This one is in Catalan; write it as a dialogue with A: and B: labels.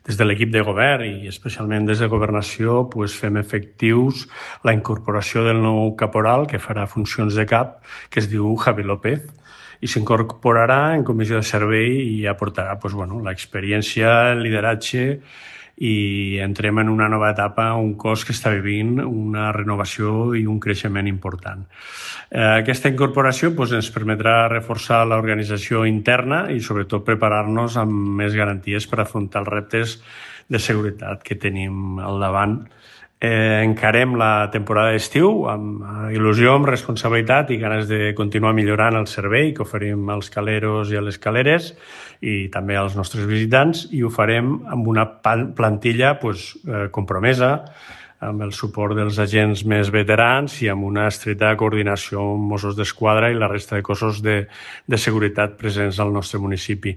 A: Des de l'equip de govern i especialment des de Governació fem efectius la incorporació del nou caporal que farà funcions de cap, que es diu Javi López, i s'incorporarà en comissió de servei i aportarà l'experiència, el lideratge, i entrem en una nova etapa, un cos que està vivint una renovació i un creixement important. Aquesta incorporació ens permetrà reforçar l'organització interna i sobretot preparar-nos amb més garanties per afrontar els reptes de seguretat que tenim al davant. Encarem la temporada d'estiu amb il·lusió, amb responsabilitat i ganes de continuar millorant el servei que oferim als caleros i a les caleres i també als nostres visitants, i ho farem amb una plantilla compromesa, amb el suport dels agents més veterans i amb una estreta coordinació amb Mossos d'Esquadra i la resta de cossos de seguretat presents al nostre municipi.